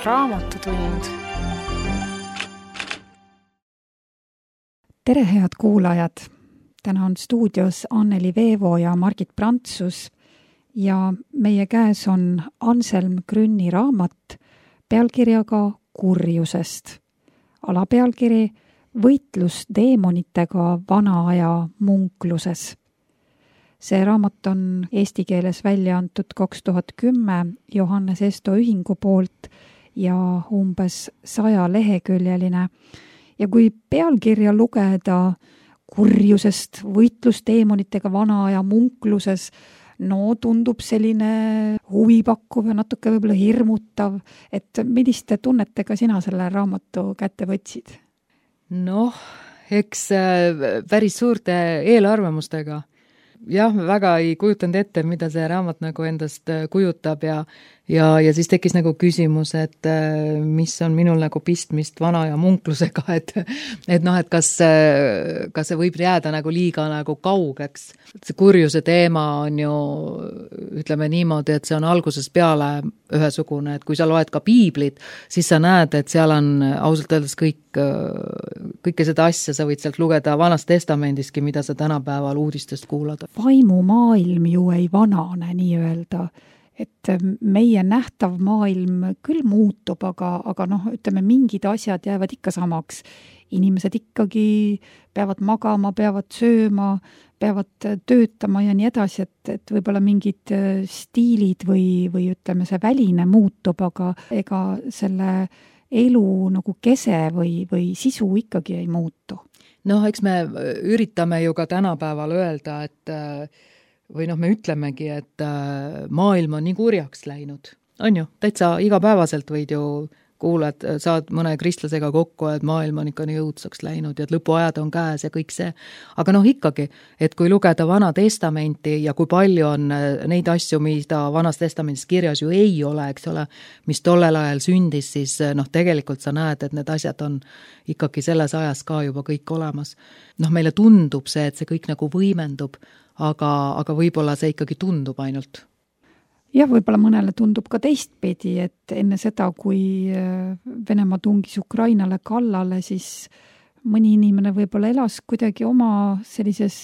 Raamatutund. Tere, head kuulajad! Täna on stuudios Anneli Veevo ja Margit Prantsus ja meie käes on Anselm Grünni raamat pealkirjaga Kurjusest. Alapealkiri Võitlus deemonitega vana aja munkluses. See raamat on eesti keeles välja antud 2010 Johannes Esto ühingu poolt ja umbes 100 leheküljeline. Ja kui pealkirja lugeda kurjusest, võitlus deemonitega vana aja munkluses, no tundub selline huvipakkuv ja natuke võib-olla hirmutav, et milliste tunnetega sina selle raamatu kätte võtsid? Noh, eks päris suurte eelarvamustega. Jah, väga ei kujutanud ette, mida see raamat nagu endast kujutab ja siis tekkis nagu küsimus, et mis on minul nagu pistmist vana ja munklusega, et kas see võib jääda nagu liiga nagu kaugeks. See kurjuse teema on ju, ütleme niimoodi, et see on algusest peale ühesugune, et kui sa loed ka piiblit, siis sa näed, et seal on ausalt öeldes kõike seda asja sa võid sealt lugeda Vanast Testamendiski, mida sa tänapäeval uudistest kuulad. Vaimumaailm ju ei vanane nii-öelda, et meie nähtav maailm küll muutub, aga ütleme, mingid asjad jäävad ikka samaks. Inimesed ikkagi peavad magama, peavad sööma, peavad töötama ja nii edasi, et võib-olla mingid stiilid või ütleme, see väline muutub, aga ega selle elu nagu kese või sisu ikkagi ei muutu. Noh, eks me üritame ju ka tänapäeval öelda, me ütlemegi, et maailm on nii kurjaks läinud. On ju, täitsa igapäevaselt võid ju kuulad, saad mõne kristlasega kokku, et maailm on ikka nii õudsaks läinud ja et lõpuajad on käes ja kõik see. Aga ikkagi, et kui lugeda Vana Testamenti ja kui palju on neid asju, mida Vanas Testamendis kirjas ju ei ole, eks ole, mis tollel ajal sündis, siis tegelikult sa näed, et need asjad on ikkagi selles ajas ka juba kõik olemas. Meile tundub see, et see kõik nagu võimendub, aga võib-olla see ikkagi tundub ainult. Ja võib-olla mõnele tundub ka teistpidi, et enne seda, kui Venemaa tungis Ukrainale kallale, siis mõni inimene võib-olla elas kuidagi oma sellises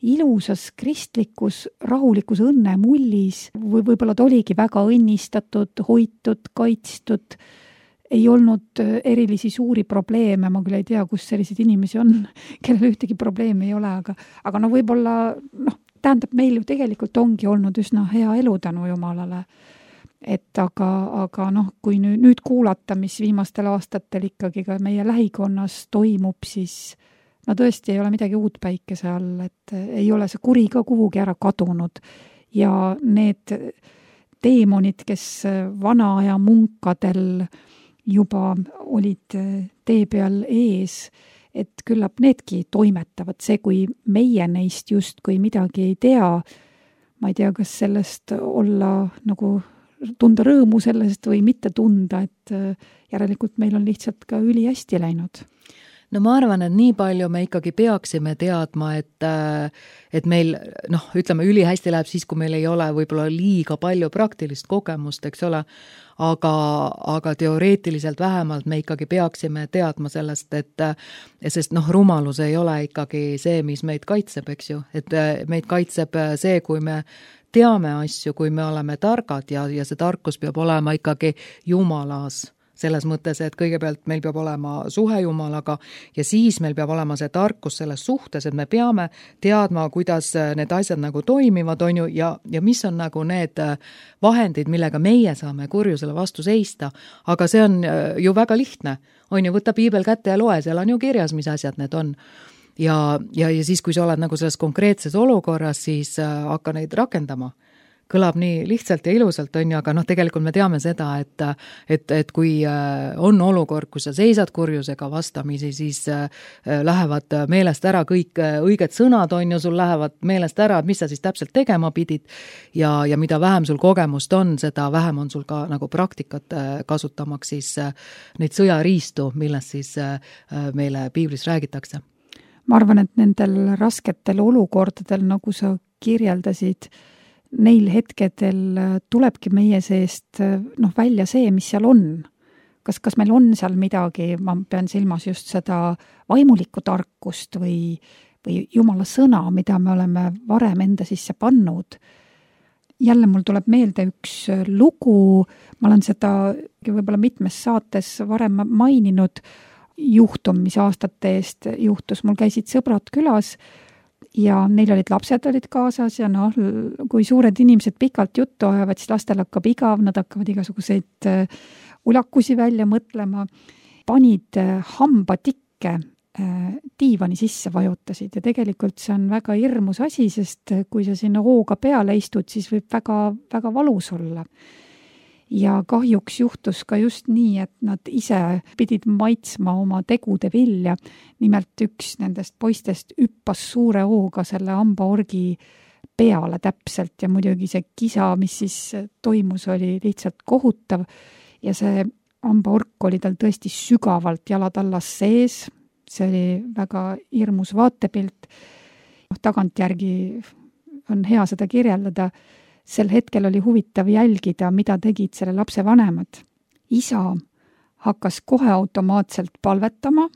ilusas, kristlikus, rahulikus õnnemullis või võib-olla ta oligi väga õnnistatud, hoitud, kaitstud, ei olnud erilisi suuri probleeme, ma küll ei tea, kus selliseid inimesi on, kellel ühtegi probleemi ei ole, aga võib-olla tähendab, meil ju tegelikult ongi olnud üsna hea elu tänu Jumalale. Et aga kui nüüd kuulata, mis viimastel aastatel ikkagi ka meie lähikonnas toimub, siis tõesti ei ole midagi uut päikese all, et ei ole see kuri ka kuhugi ära kadunud. Ja need deemonid, kes vana aja munkadel juba olid tee peal ees, et küllap needki toimetavad. See, kui meie neist justkui midagi ei tea, ma ei tea, kas sellest olla tunda rõõmu sellest või mitte tunda, et järelikult meil on lihtsalt ka ülihästi läinud. Ma arvan, et nii palju me ikkagi peaksime teadma, et meil, ütleme, ülihästi läheb siis, kui meil ei ole võib-olla liiga palju praktilist kogemust, eks ole, aga teoreetiliselt vähemalt me ikkagi peaksime teadma sellest, sest rumalus ei ole ikkagi see, mis meid kaitseb, eks ju, et meid kaitseb see, kui me teame asju, kui me oleme targad ja see tarkus peab olema ikkagi Jumalas. Selles mõttes, et kõigepealt meil peab olema suhe Jumalaga ja siis meil peab olema see tarkus selles suhtes, et me peame teadma, kuidas need asjad nagu toimivad, on ju, ja mis on nagu need vahendid, millega meie saame kurjusele vastu seista. Aga see on ju väga lihtne. On ju, võtta piibel kätte ja loe, seal on ju kirjas, mis asjad need on. Ja siis, kui sa oled nagu selles konkreetses olukorras, siis hakka neid rakendama. Kõlab nii lihtsalt ja ilusalt, on ju, aga tegelikult me teame seda, et kui on olukord, kus sa seisad kurjusega vastamisi, siis lähevad meelest ära kõik õiged sõnad, on ju, sul lähevad meelest ära, mis sa siis täpselt tegema pidid ja mida vähem sul kogemust on, seda vähem on sul ka nagu praktikat kasutamaks siis neid sõjariistu, millest siis meile piiblis räägitakse. Ma arvan, et nendel rasketel olukordadel, nagu sa kirjeldasid, neil hetkedel tulebki meie seest välja see, mis seal on. kas meil on seal midagi, ma pean silmas just seda vaimulikku tarkust või Jumala sõna, mida me oleme varem enda sisse pannud. Jälle mul tuleb meelde üks lugu, ma olen seda võib-olla mitmes saates varem maininud, juhtum, mis aastate eest juhtus. Mul käisid sõbrad külas ja neil olid lapsed olid kaasas ja kui suured inimesed pikalt juttu ajavad, siis lastel hakkab igav, nad hakkavad igasuguseid ulakusi välja mõtlema, panid hambatikke diivani sisse vajutasid ja tegelikult see on väga hirmus asi, sest kui sa sinna hooga peale istud, siis võib väga, väga valus olla. Ja kahjuks juhtus ka just nii, et nad ise pidid maitsma oma tegude vilja. Nimelt üks nendest poistest hüppas suure hooga selle hambaorgi peale täpselt ja muidugi see kisa, mis siis toimus, oli lihtsalt kohutav ja see hambaork oli tal tõesti sügavalt jalatallas sees. See oli väga hirmus vaatepilt. Tagantjärgi on hea seda kirjeldada. Sel hetkel oli huvitav jälgida, mida tegid selle lapse vanemad. Isa hakkas kohe automaatselt palvetama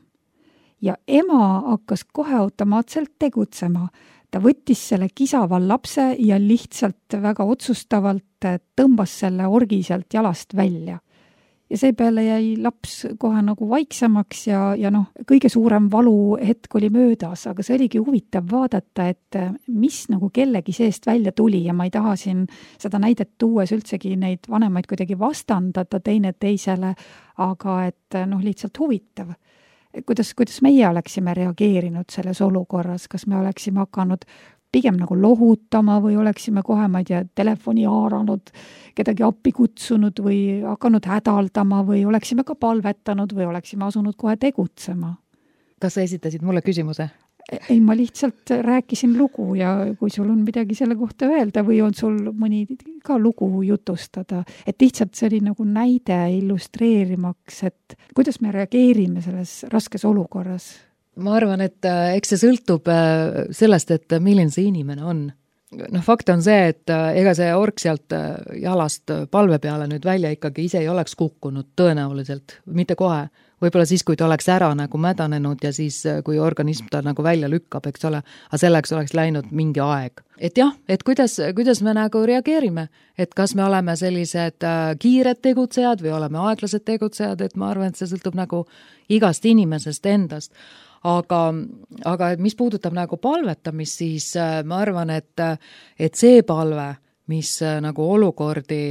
ja ema hakkas kohe automaatselt tegutsema. Ta võttis selle kisava lapse ja lihtsalt väga otsustavalt tõmbas selle orgi sealt jalast välja. Ja seepeale jäi laps kohe nagu vaiksemaks ja kõige suurem valu hetk oli möödas, aga see oligi huvitav vaadata, et mis nagu kellegi seest välja tuli ja ma ei taha siin seda näidet tuues üldsegi neid vanemaid kuidagi vastandada teine teisele, aga et lihtsalt huvitav. Kuidas meie oleksime reageerinud selles olukorras, kas me oleksime hakanud pigem nagu lohutama või oleksime kohe, ma ei tea, telefoni haaranud, kedagi appi kutsunud või hakanud hädaldama või oleksime ka palvetanud või oleksime asunud kohe tegutsema. Kas sa esitasid mulle küsimuse? Ei, ma lihtsalt rääkisin lugu ja kui sul on midagi selle kohta öelda või on sul mõni ka lugu jutustada, et lihtsalt see oli nagu näide illustreerimaks, et kuidas me reageerime selles raskes olukorras. Ma arvan, et eks see sõltub sellest, et milline see inimene on. Fakt on see, et ega see ork sealt jalast palve peale nüüd välja ikkagi ise ei oleks kukkunud tõenäoliselt, mitte kohe. Võib-olla siis, kui ta oleks ära nagu mädanenud ja siis, kui organism ta nagu välja lükkab, eks ole, aga selleks oleks läinud mingi aeg. Et jah, et kuidas me nagu reageerime, et kas me oleme sellised kiired tegutsejad või oleme aeglased tegutsejad, et ma arvan, et see sõltub nagu igast inimesest endast. Aga mis puudutab nagu palvetamist, siis ma arvan, et see palve, mis nagu olukordi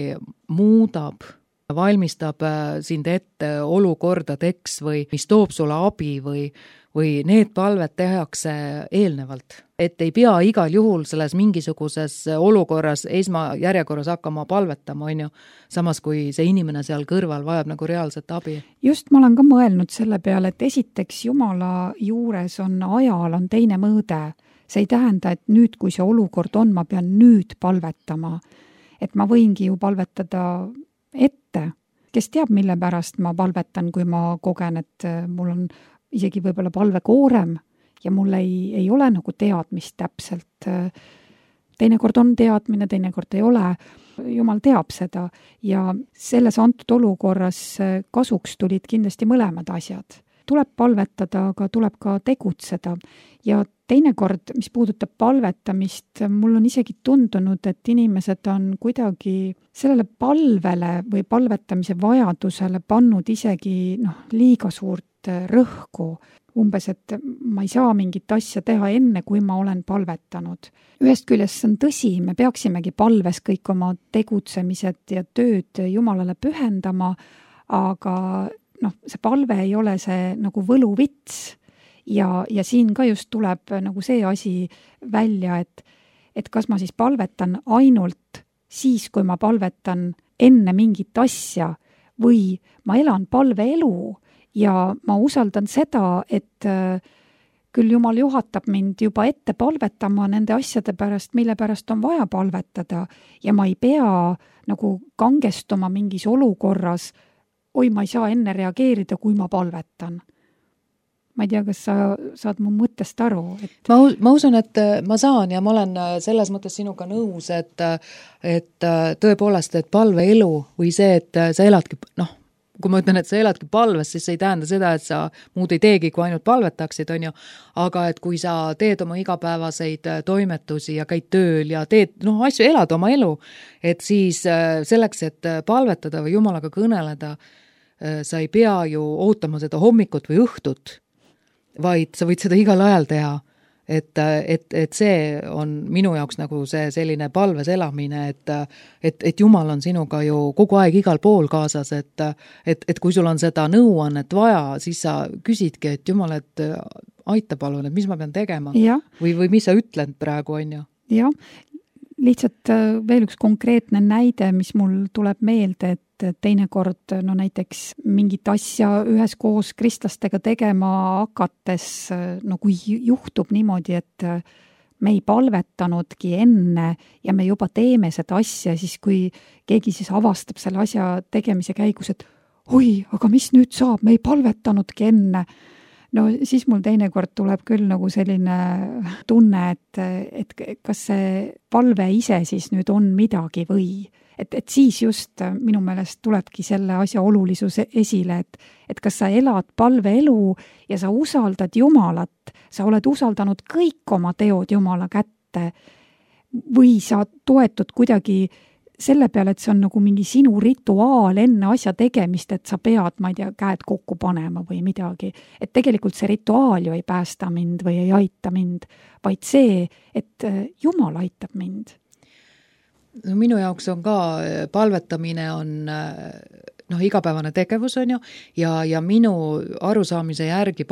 muudab, valmistab sind ette olukordadeks või mis toob sulle abi või need palved tehakse eelnevalt. Et ei pea igal juhul selles mingisuguses olukorras esmajärjekorras hakkama palvetama, on ju, samas kui see inimene seal kõrval vajab nagu reaalset abi. Just ma olen ka mõelnud selle peale, et esiteks Jumala juures ajal on teine mõõde. See ei tähenda, et nüüd, kui see olukord on, ma pean nüüd palvetama. Et ma võingi ju palvetada ette. Kes teab, mille pärast ma palvetan, kui ma kogen, et mul on isegi võib-olla palvekoorem ja mul ei ole nagu teadmist täpselt. Teinekord on teadmine, teinekord ei ole. Jumal teab seda ja selles antud olukorras kasuks tulid kindlasti mõlemad asjad. Tuleb palvetada, aga tuleb ka tegutseda. Ja teinekord, mis puudutab palvetamist, mul on isegi tundunud, et inimesed on kuidagi sellele palvele või palvetamise vajadusele pannud isegi liiga suurt rõhku. Umbes, et ma ei saa mingit asja teha enne, kui ma olen palvetanud. Ühest küljest see on tõsi, me peaksimegi palves kõik oma tegutsemised ja tööd Jumalale pühendama, aga see palve ei ole see nagu võluvits ja siin ka just tuleb nagu see asi välja, et kas ma siis palvetan ainult siis, kui ma palvetan enne mingit asja või ma elan palveelu ja ma usaldan seda, et küll Jumal juhatab mind juba ette palvetama nende asjade pärast, mille pärast on vaja palvetada ja ma ei pea nagu kangestuma mingis olukorras, ma ei saa enne reageerida, kui ma palvetan. Ma ei tea, kas sa saad mu mõttest aru? Ma usun, et ma saan ja ma olen selles mõttes sinuga nõus, et tõepoolest, et palveelu või see, et sa eladki kui ma ütlen, et sa eladki palves, siis see ei tähenda seda, et sa muud ei teegi, kui ainult palvetaksid, on ju, aga et kui sa teed oma igapäevaseid toimetusi ja käid tööl ja teed, asju, elad oma elu, et siis selleks, et palvetada või Jumalaga kõneleda, sa ei pea ju ootama seda hommikut või õhtut, vaid sa võid seda igal ajal teha. Et see on minu jaoks nagu see selline palves elamine, et Jumal on sinuga ju kogu aeg igal pool kaasas, et kui sul on seda nõuannet vaja, siis sa küsidki, et Jumal, et aita palun, et mis ma pean tegema või mis sa ütled praegu, on ju? Jah, lihtsalt veel üks konkreetne näide, mis mul tuleb meelde, et teinekord näiteks mingit asja üheskoos kristlastega tegema hakates, kui juhtub niimoodi, et me ei palvetanudki enne ja me juba teeme seda asja, siis kui keegi siis avastab selle asja tegemise käigus, et oi, aga mis nüüd saab, me ei palvetanudki enne. No siis mul teinekord tuleb küll nagu selline tunne, et kas see palve ise siis nüüd on midagi või et siis just minu meelest tulebki selle asja olulisus esile, et kas sa elad palveelu ja sa usaldad Jumalat, sa oled usaldanud kõik oma teod Jumala kätte või sa toetud kuidagi selle peale, et see on nagu mingi sinu rituaal enne asja tegemist, et sa pead, ma ei tea, käed kokku panema või midagi. Et tegelikult see rituaal ju ei päästa mind või ei aita mind, vaid see, et Jumal aitab mind. No minu jaoks on ka palvetamine on igapäevane tegevus on ju ja minu arusaamise järgi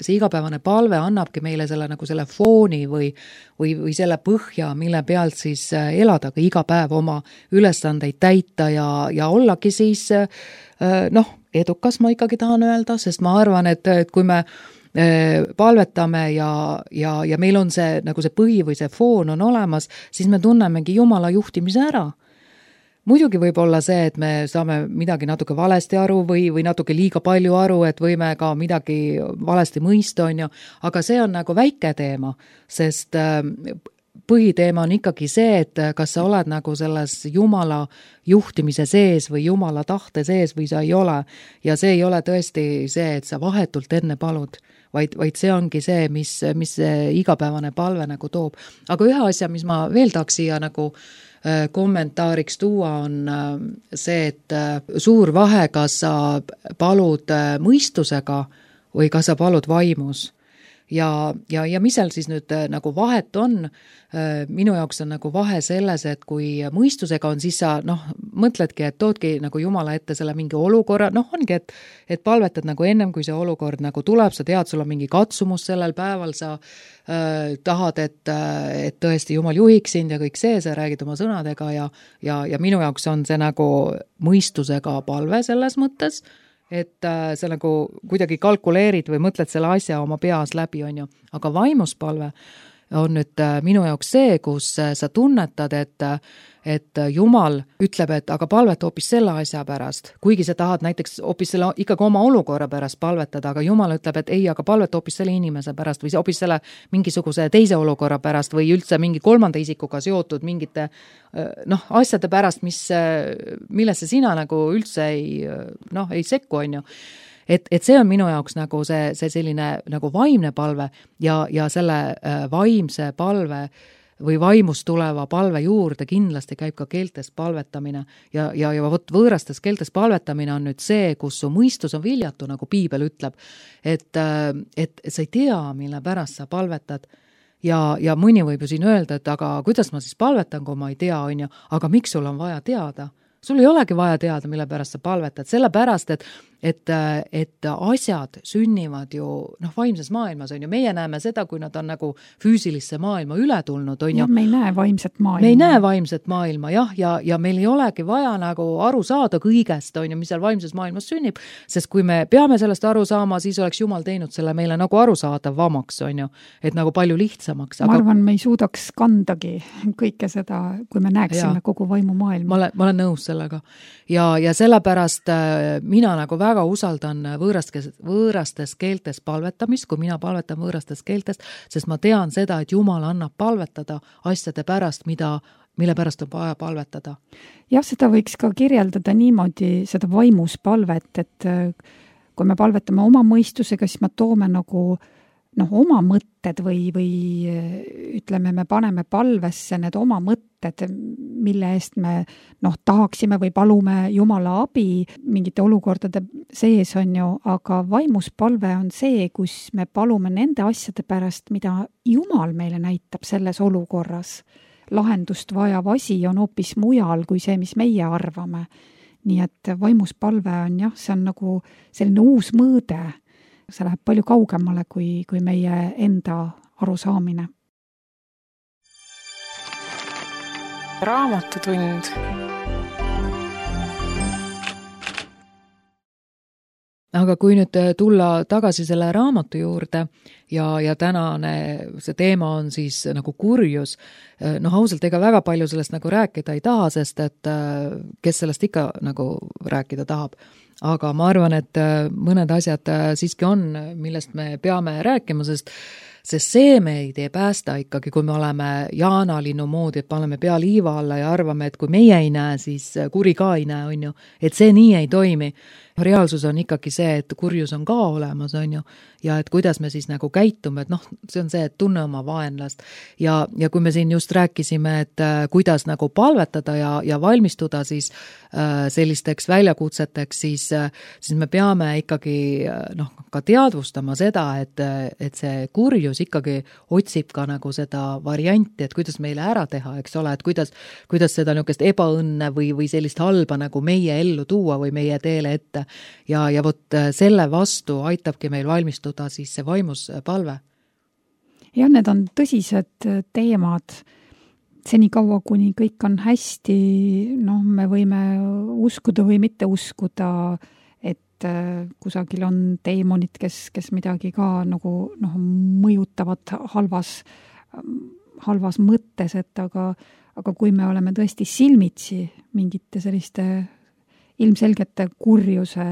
see igapäevane palve annabki meile selle nagu selle fooni või selle põhja, mille pealt siis elada ka iga päev oma ülesandeid täita ja ollagi siis edukas, ma ikkagi tahan öelda, sest ma arvan, et kui me palvetame ja meil on see nagu see põhi või see foon on olemas, siis me tunnemegi Jumala juhtimise ära. Muidugi võib olla see, et me saame midagi natuke valesti aru või natuke liiga palju aru, et võime ka midagi valesti mõista, on ju, aga see on nagu väike teema, sest põhiteema on ikkagi see, et kas sa oled nagu selles Jumala juhtimise sees või Jumala tahte sees või sa ei ole. Ja see ei ole tõesti see, et sa vahetult enne palud, vaid see ongi see, mis see igapäevane palve nagu toob. Aga ühe asja, mis ma veel tahaks siia nagu kommentaariks tuua, on see, et suur vahe, kas sa palud mõistusega või kas sa palud vaimus. Ja mis seal siis nüüd nagu vahet on, minu jaoks on nagu vahe selles, et kui mõistusega on, siis sa mõtledki, et toodki nagu Jumala ette selle mingi olukorra, ongi, et palvetad nagu ennem, kui see olukord nagu tuleb, sa tead, sul on mingi katsumus sellel päeval, sa tahad, et tõesti Jumal juhiks sind ja kõik see, sa räägid oma sõnadega ja minu jaoks on see nagu mõistusega palve selles mõttes, et sa nagu kuidagi kalkuleerid või mõtled selle asja oma peas läbi, on ju. Aga vaimuspalve on nüüd minu jaoks see, kus sa tunnetad, et Jumal ütleb, et aga palveta hoopis selle asja pärast, kuigi sa tahad näiteks hoopis selle ikkagi oma olukorra pärast palvetada, aga Jumal ütleb, et ei, aga palveta hoopis selle inimese pärast või hoopis selle mingisuguse teise olukorra pärast või üldse mingi kolmanda isikuga seotud mingite asjade pärast, millesse sina nagu üldse ei sekku, on ju. Et see on minu jaoks nagu see selline nagu vaimne palve ja selle vaimse palve või vaimust tuleva palve juurde kindlasti käib ka keeltes palvetamine ja võõrastes keeltes palvetamine on nüüd see, kus su mõistus on viljatu, nagu Piibel ütleb, et sa ei tea, mille pärast sa palvetad ja mõni võib ju siin öelda, et aga kuidas ma siis palvetan, kui ma ei tea, on ju, aga miks sul on vaja teada? Sul ei olegi vaja teada, mille pärast sa palvetad, sellepärast, et asjad sünnivad ju vaimses maailmas, on ju. Meie näeme seda, kui nad on nagu füüsilisse maailma üle tulnud, on ju. Me ei näe vaimset maailma. Me ei näe vaimset maailma, ja meil ei olegi vaja nagu aru saada kõigest, on ju, mis seal vaimses maailmas sünnib, sest kui me peame sellest aru saama, siis oleks Jumal teinud selle meile nagu arusaadavamaks, on ju, et nagu palju lihtsamaks. Ma arvan, me ei suudaks kandagi kõike seda, kui me näeksime kogu vaimu maailma. Ma olen nõus sellega. Ja sellepärast mina nagu väga usaldan võõrastes keeltes palvetamist, kui mina palvetan võõrastes keeltes, sest ma tean seda, et Jumal annab palvetada asjade pärast, mida mille pärast on vaja palvetada? Jah, seda võiks ka kirjeldada niimoodi, seda vaimuspalvet, et kui me palvetame oma mõistusega, siis me toome nagu oma mõtted või ütleme, me paneme palvesse need oma mõtted, mille eest me tahaksime või palume Jumala abi mingite olukordade sees on ju, aga vaimuspalve on see, kus me palume nende asjade pärast, mida Jumal meile näitab selles olukorras. Lahendust vajav asi on hoopis mujal kui see, mis meie arvame. Nii et vaimuspalve on jah, see on nagu selline uus mõõde. See läheb palju kaugemale kui meie enda arusaamine. Raamatutund. Aga kui nüüd tulla tagasi selle raamatu juurde ja tänane see teema on siis nagu kurjus, ausalt ega väga palju sellest nagu rääkida ei taha, sest et kes sellest ikka nagu rääkida tahab. Aga ma arvan, et mõned asjad siiski on, millest me peame rääkima, sest see meid ei päästa ikkagi, kui me oleme jaanalinnu moodi, et paneme pea liiva alla ja arvame, et kui meie ei näe, siis kuri ka ei näe, on ju. Et see nii ei toimi. Reaalsus on ikkagi see, et kurjus on ka olemas, on ju, ja et kuidas me siis nagu käitume, et see on see, et tunne oma vaenlast. Ja kui me siin just rääkisime, et kuidas nagu palvetada ja valmistuda siis sellisteks väljakutseteks, siis me peame ikkagi ka teadvustama seda, et see kurjus ikkagi otsib ka nagu seda varianti, et kuidas meile ära teha, eks ole, et kuidas seda niisugust ebaõnne või sellist halba nagu meie ellu tuua või meie teele ette. Ja vot selle vastu aitabki meil valmistuda siis see vaimuspalve. Jah, need on tõsised teemad. Senikaua, kuni kõik on hästi, me võime uskuda või mitte uskuda, et kusagil on teemonid, kes midagi ka nagu mõjutavad halvas mõttes, et aga kui me oleme tõesti silmitsi mingite selliste ilmselgete kurjuse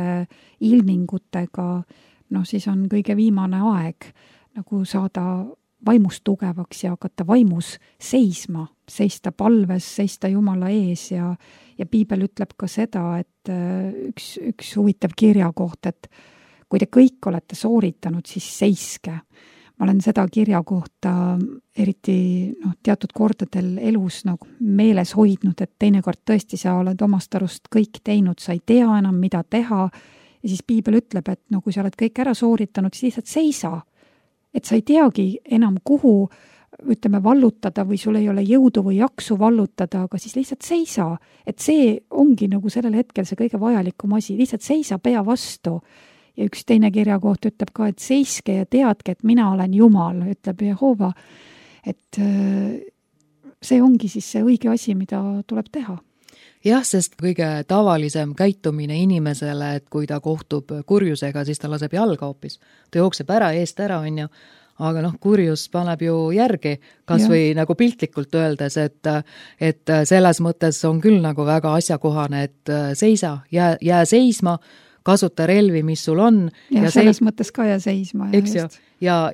ilmingutega, siis on kõige viimane aeg nagu saada vaimust tugevaks ja hakata vaimus seista palves, seista Jumala ees ja Piibel ütleb ka seda, et üks huvitav kirjakoht, et kui te kõik olete sooritanud, siis seiske. Ma olen seda kirja kohta eriti teatud kordadel elus nagu meeles hoidnud, et teinekord tõesti sa oled omast arust kõik teinud, sa ei tea enam, mida teha ja siis Piibel ütleb, et kui sa oled kõik ära sooritanud, siis lihtsalt seisa. Et sa ei teagi enam kuhu, ütleme, vallutada või sul ei ole jõudu või jaksu vallutada, aga siis lihtsalt seisa. Et see ongi nagu sellel hetkel see kõige vajalikum asi, lihtsalt seisa pea vastu. Ja üks teine kirjakoht ütleb ka, et seiske ja teadke, et mina olen Jumal, ütleb Jehova. Et see ongi siis see õige asi, mida tuleb teha. Jah, sest kõige tavalisem käitumine inimesele, et kui ta kohtub kurjusega, siis ta laseb jalga hoopis. Ta jookseb eest ära, on ju. Aga kurjus paneb ju järgi, kas või nagu piltlikult öeldes, et selles mõttes on küll nagu väga asjakohane, et seisa, jää seisma, kasuta relvi, mis sul on. Ja selles mõttes ka jää seisma. Ja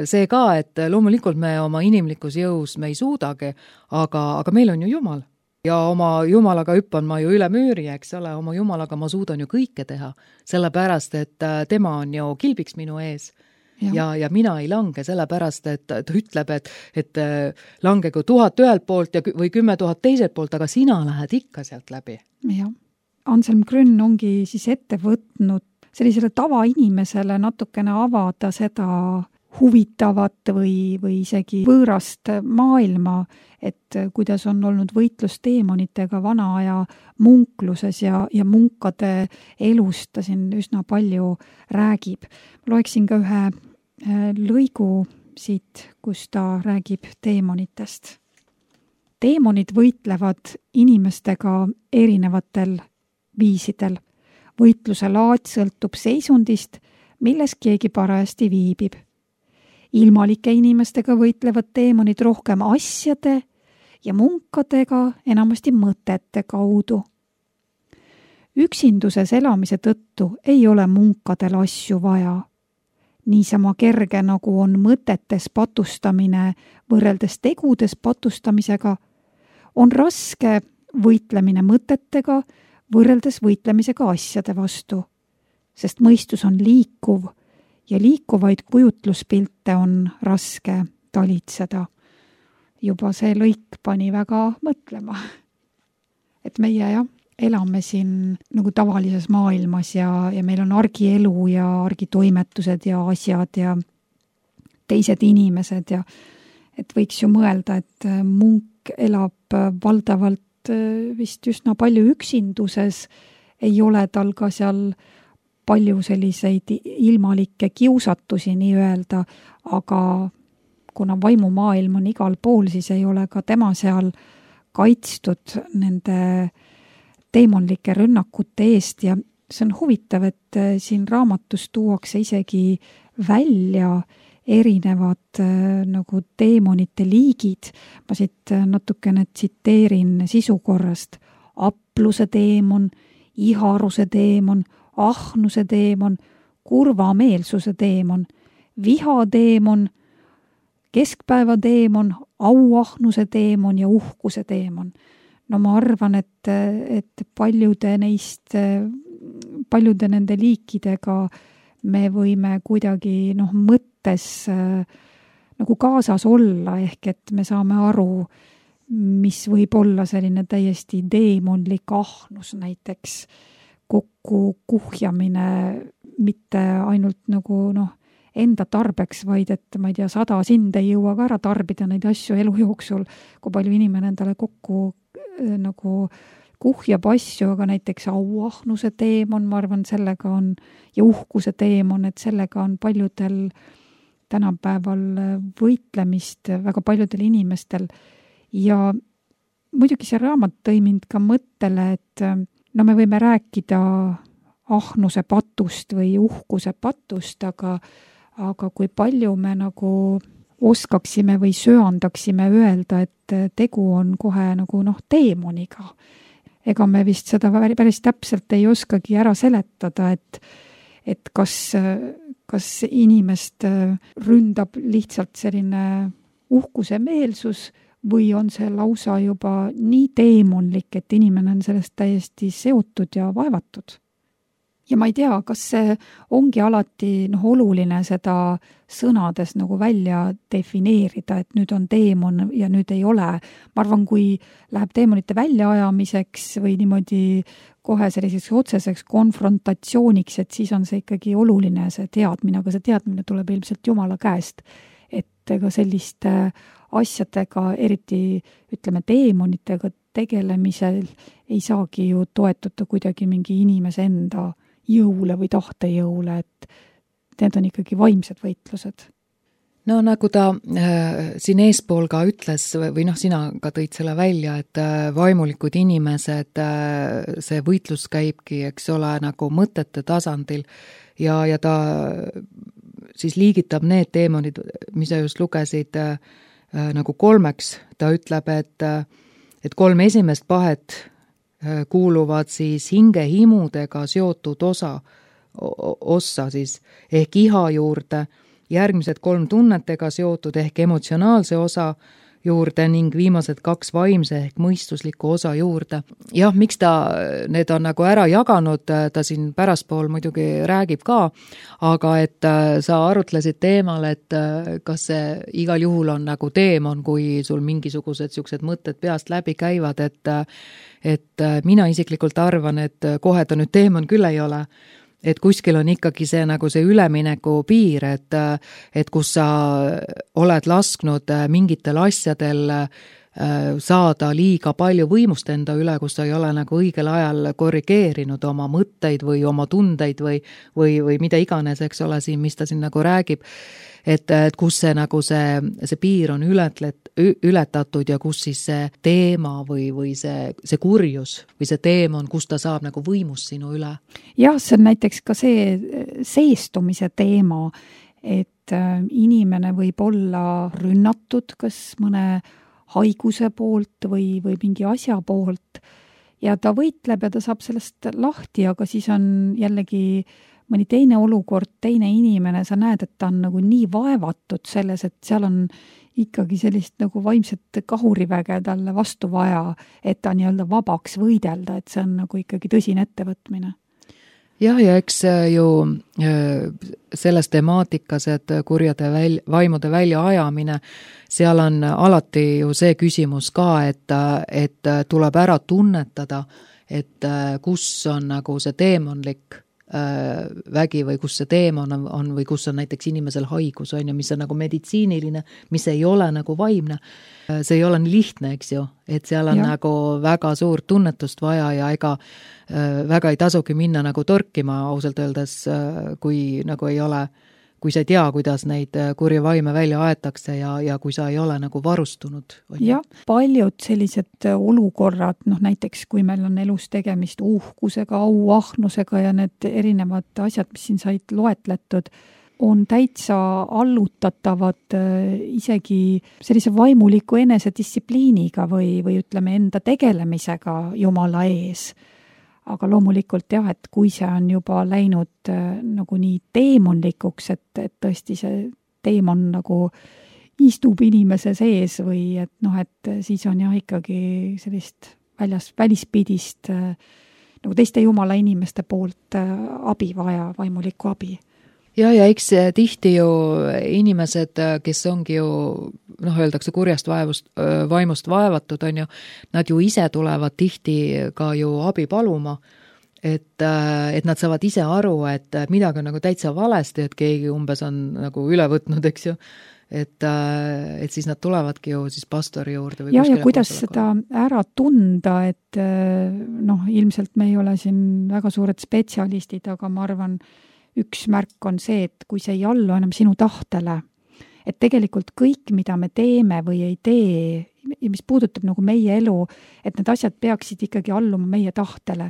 see ka, et loomulikult me oma inimlikus jõus me ei suudagi, aga meil on ju Jumal. Ja oma Jumalaga hüppan ma ju üle müüri, eks ole, oma Jumalaga ma suudan ju kõike teha, sellepärast, et tema on ju kilbiks minu ees. Ja mina ei lange, sellepärast, et ta ütleb, et langegu 1000 ühelt poolt või 10 000 teiselt poolt, aga sina lähed ikka sealt läbi. Jah. Anselm Grün ongi siis ette võtnud sellisele tavainimesele natukene avada seda huvitavat või isegi võõrast maailma, et kuidas on olnud võitlus teemonitega vana aja munkluses ja munkade elust ta siin üsna palju räägib. Loeksin ka ühe lõigu siit, kus ta räägib teemonitest. Teemonid võitlevad inimestega erinevatel viisidel. Võitluse laad sõltub seisundist, milles keegi parajasti viibib. Ilmalike inimestega võitlevad teemonid rohkem asjade ja munkadega enamasti mõtete kaudu. Üksinduses elamise tõttu ei ole munkadel asju vaja. Niisama kerge, nagu on mõtetes patustamine võrreldes tegudes patustamisega, On raske võitlemine mõtetega võrreldes võitlemisega asjade vastu, sest mõistus on liikuv ja liikuvaid kujutluspilte on raske talitseda. Juba see lõik pani väga mõtlema. Et meie elame siin nagu tavalises maailmas ja meil on argielu ja argitoimetused ja asjad ja teised inimesed ja et võiks ju mõelda, et munk elab valdavalt vist üsna palju üksinduses, ei ole tal ka seal palju selliseid ilmalikke kiusatusi nii-öelda, aga kuna vaimumaailm on igal pool, siis ei ole ka tema seal kaitstud nende teemonlike rünnakute eest ja see on huvitav, et siin raamatus tuuakse isegi välja erinevad nagu teemonite liigid. Ma siit natukene tsiteerin sisukorrast. Apluse teemon, iharuse teemon, ahnuse teemon, kurvameelsuse teemon, viha teemon, keskpäeva teemon, auahnuse teemon ja uhkuse teemon. No ma arvan, et paljude nende liikidega me võime kuidagi mõttes nagu kaasas olla, ehk et me saame aru, mis võib olla selline täiesti teemonlik ahnus, näiteks kokku kuhjamine mitte ainult nagu enda tarbeks, vaid et ma ei tea, 100 sind ei jõua ka ära tarbida neid asju elu jooksul, kui palju inimene endale kokku nagu kuhjab asju, aga näiteks auahnuse teemon, ma arvan, sellega on, ja uhkuse teemon, et sellega on paljudel tänapäeval võitlemist väga paljudel inimestel. Ja muidugi see raamat tõi mind ka mõttele, et me võime rääkida ahnuse patust või uhkuse patust, aga kui palju me nagu oskaksime või söandaksime öelda, et tegu on kohe nagu teemoniga. Ega me vist seda päris täpselt ei oskagi ära seletada, et kas inimest ründab lihtsalt selline uhkuse meelsus või on see lausa juba nii teemonlik, et inimene on sellest täiesti seotud ja vaevatud. Ja ma ei tea, kas see ongi alati oluline seda sõnades nagu välja defineerida, et nüüd on teemon ja nüüd ei ole. Ma arvan, kui läheb teemonite väljaajamiseks või niimoodi kohe selliseks otseseks konfrontatsiooniks, et siis on see ikkagi oluline, see teadmine, aga see teadmine tuleb ilmselt Jumala käest. Et ega selliste asjadega, eriti ütleme teemonitega tegelemisel ei saagi ju toetuda kuidagi mingi inimese enda jõule või tahtejõule, et need on ikkagi vaimsed võitlused. No nagu ta siin eespool ka ütles või sina ka tõid selle välja, et vaimulikud inimesed, see võitlus käibki, eks ole, nagu mõtete tasandil ja ta siis liigitab need teemonid, mis sa just lugesid nagu 3, ta ütleb, et 3 esimest pahet kuuluvad siis hingehimudega seotud ossa siis ehk iha juurde, järgmised 3 tunnetega seotud ehk emotsionaalse osa juurde ning viimased 2 vaimse ehk mõistusliku osa juurde. Jah, miks ta need on nagu ära jaganud, ta siin päraspool muidugi räägib ka, aga et sa arutlesid teemal, et kas see igal juhul on nagu teemon, kui sul mingisugused siuksed mõtted peast läbi käivad, et mina isiklikult arvan, et kohe ta nüüd teemon küll ei ole. Et kuskil on ikkagi see nagu see ülemineku piir, et kus sa oled lasknud mingitel asjadel saada liiga palju võimust enda üle, kus sa ei ole nagu õigel ajal korrigeerinud oma mõtteid või oma tundeid või mida iganes, eks ole siin, mis ta siin nagu räägib. Et kus see nagu see piir on ületatud ja kus siis see teema või see kurjus või see teemon, kus ta saab nagu võimust sinu üle. Jah, see on näiteks ka see seestumise teema, et inimene võib olla rünnatud kas mõne haiguse poolt või mingi asja poolt ja ta võitleb ja ta saab sellest lahti, aga siis on jällegi mõni teine olukord, teine inimene, sa näed, et ta on nagu nii vaevatud selles, et seal on ikkagi sellist nagu vaimset kahuriväge talle vastu vaja, et ta nii-öelda vabaks võidelda, et see on nagu ikkagi tõsine ettevõtmine. Jah, ja eks ju selles temaatikas, et kurjade vaimude väljaajamine, seal on alati ju see küsimus ka, et tuleb ära tunnetada, et kus on nagu see teemonlik vägi või kus see teemon on või kus on näiteks inimesel haigus on ja mis on nagu meditsiiniline, mis ei ole nagu vaimne. See ei ole nii lihtne, eks ju, et seal on nagu väga suurt tunnetust vaja ja ega väga ei tasugi minna nagu torkima ausalt öeldes, kui nagu ei ole, kui sa ei tea, kuidas neid kurja vaime välja aetakse ja kui sa ei ole nagu varustunud. Jah, paljud sellised olukorrad, näiteks kui meil on elus tegemist uhkusega, auahnusega ja need erinevad asjad, mis siin said loetletud, on täitsa allutatavad isegi sellise vaimuliku enesedistsipliiniga või ütleme enda tegelemisega Jumala ees. Aga loomulikult jah, et kui see on juba läinud nagu nii teemonlikuks, et tõesti see teemon nagu istub inimese sees või et siis on jah ikkagi sellist välispidist nagu teiste Jumala inimeste poolt abi vaja, vaimulikku abi. Ja eks tihti ju inimesed, kes ongi ju, öeldakse kurjast vaimust vaevatud, on ju, nad ju ise tulevad tihti ka ju abi paluma, et nad saavad ise aru, et midagi on nagu täitsa valesti, et keegi umbes on nagu üle võtnud, eks ju, et siis nad tulevadki ju siis pastori juurde. Ja kuidas seda ära tunda, et ilmselt me ei ole siin väga suured spetsialistid, aga ma arvan, üks märk on see, et kui see ei allu enam sinu tahtele, et tegelikult kõik, mida me teeme või ei tee, mis puudutab nagu meie elu, et need asjad peaksid ikkagi alluma meie tahtele.